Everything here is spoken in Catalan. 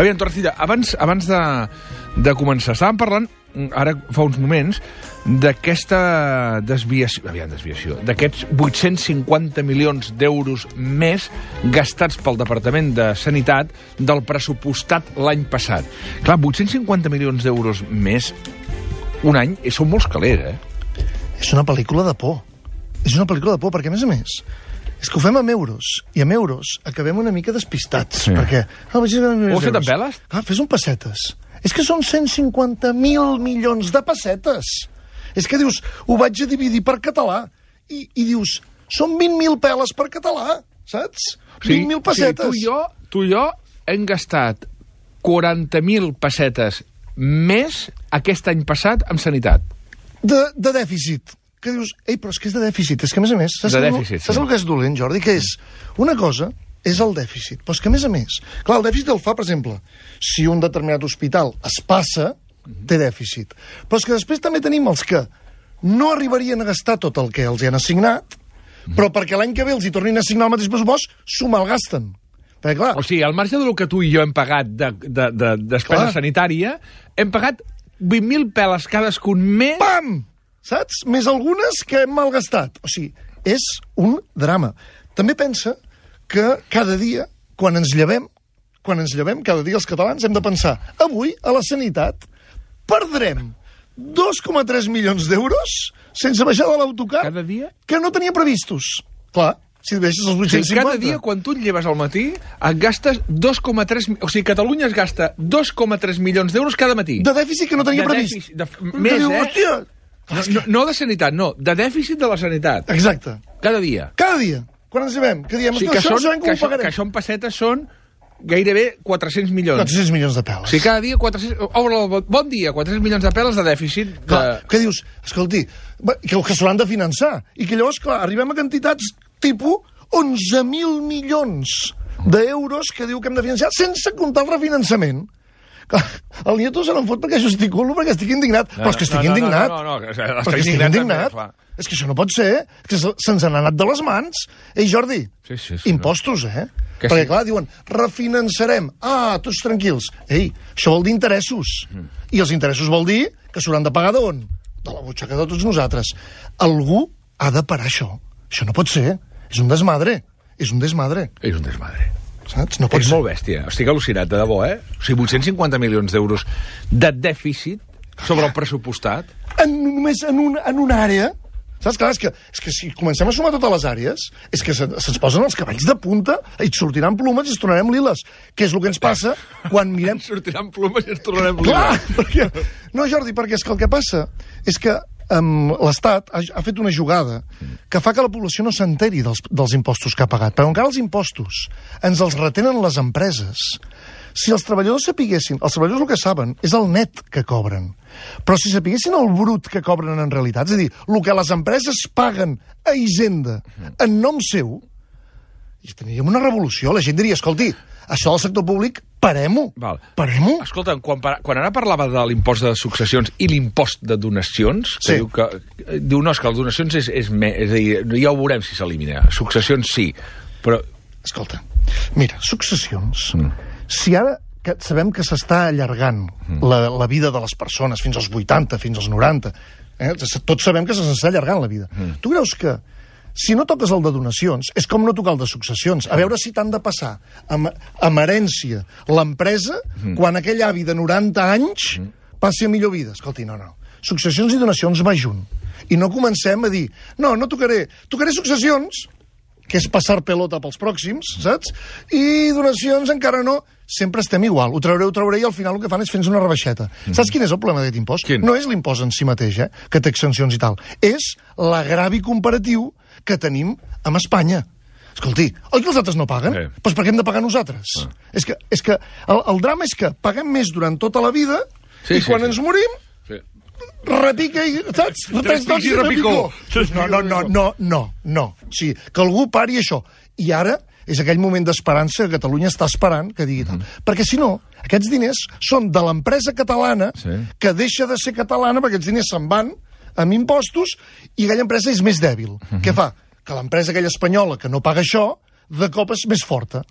Aviam, Torrecilla, abans de començar, estàvem parlant, ara fa uns moments, d'aquesta desviació, d'aquests 850 milions d'euros més gastats pel Departament de Sanitat del pressupostat l'any passat. Clar, 850 milions d'euros més un any són molts calés, És una pel·lícula de por. És una pel·lícula de por, perquè, a més, és que ho fem amb euros, i amb euros acabem una mica despistats, perquè... Ho has fet amb veles? Clar, fes un pessetes. És que són 150.000 milions de pessetes. És que dius, ho vaig a dividir per català, i dius, són 20.000 peles per català, saps? 20.000 pessetes. O sigui, tu i jo hem gastat 40.000 pessetes més aquest any passat amb sanitat. De dèficit. Que dius, però és que és de dèficit. És que, a més, saps el que és dolent, Jordi? Que és, una cosa és el dèficit, però és que, a més, clar, el dèficit el fa, per exemple, si un determinat hospital es passa, té dèficit. Però és que després també tenim els que no arribarien a gastar tot el que els hi han assignat, però perquè l'any que ve els hi tornin a assignar el mateix pressupost, s'ho malgasten. Perquè, clar... O sigui, al marge del que tu i jo hem pagat de despesa sanitària, hem pagat 20.000 peles cadascun més... Pam! Saps? Més algunes que hem malgastat. O sigui, és un drama. També pensa que cada dia, quan ens llevem, cada dia els catalans hem de pensar, avui, a la sanitat, perdrem 2,3 milions d'euros sense baixar de l'autocar que no tenia previstos. Clar, si deixes els 850... Sí, cada dia, quan tu et lleves al matí, et gastes 2,3... O sigui, Catalunya es gasta 2,3 milions d'euros cada matí. De dèficit que no tenia previst. Més, hòstia! No de sanitat, no, de dèficit de la sanitat. Exacte. Cada dia. Cada dia. Quan ens llevem, que diem, que això en pessetes són gairebé 400 milions. 400 milions de peles. O sigui, cada dia 400... Obre el bon dia, 400 milions de peles de dèficit. Clar, què dius? Escolti, que s'hauran de finançar. I que llavors, clar, arribem a quantitats tipus 11.000 milions d'euros que diu que hem de finançar sense comptar el refinançament. El Nieto se n'en fot perquè gesticulo, perquè estic indignat. Però és que estic indignat. No, estic indignat. És que això no pot ser. És que se'ns han anat de les mans. Ei, Jordi, impostos, Perquè, clar, diuen, refinançarem. Tots tranquils. Ei, això vol dir interessos. I els interessos vol dir que s'hauran de pagar d'on? De la butxaca de tots nosaltres. Algú ha de parar això. Això no pot ser. És un desmadre. És un desmadre. Saps? No Ets molt bèstia. Estic al·lucinat, de debò, O sigui, 850 milions d'euros de dèficit sobre el pressupostat. Només en una àrea. Saps? Clar, és que si comencem a sumar totes les àrees, és que se'ns posen els cavalls de punta i et sortiran plomes i ens tornarem liles. Que és el que ens passa quan mirem... Sortiran plomes i ens tornarem liles. Clar, perquè... No, Jordi, perquè és que el que passa és que l'Estat ha fet una jugada que fa que la població no s'enteri dels impostos que ha pagat. Però encara els impostos ens els retenen les empreses. Si els treballadors sapiguessin... Els treballadors el que saben és el net que cobren. Però si sapiguessin el brut que cobren en realitat, és a dir, el que les empreses paguen a Hisenda en nom seu, i tindríem una revolució. La gent diria, escolti, això del sector públic, parem-ho. Parem-ho. Escolta, quan ara parlava de l'impost de successions i l'impost de donacions, que diu, no, és que les donacions és a dir, ja ho veurem si s'elimina. Successions sí, però... Escolta, mira, successions, si ara que sabem que s'està allargant la vida de les persones fins als 80, fins als 90, tots sabem que s'està allargant la vida. Tu creus que si no toques el de donacions, és com no tocar el de successions. A veure si t'han de passar amb herència l'empresa quan aquell avi de 90 anys passi a millor vida. Escolti, no. Successions i donacions va junt. I no comencem a dir, no tocaré successions, que és passar pelota pels pròxims, saps? I donacions encara no. Sempre estem igual. Ho trauré i al final el que fan és fer-nos una rebaixeta. Saps quin és el problema d'aquest impost? No és l'impost en si mateix, que té exempcions i tal. És l'agravi comparatiu que tenim amb Espanya. Escolti, oi que els altres no paguen? Doncs per què hem de pagar nosaltres? És que el drama és que paguem més durant tota la vida i quan ens morim repica i... Saps? Repica i repicó. No. O sigui, que algú pari això. I ara és aquell moment d'esperança que Catalunya està esperant que digui tal. Perquè si no, aquests diners són de l'empresa catalana que deixa de ser catalana perquè aquests diners se'n van amb impostos i aquella empresa és més dèbil. Què fa? Que l'empresa aquella espanyola que no paga això, de cop és més forta.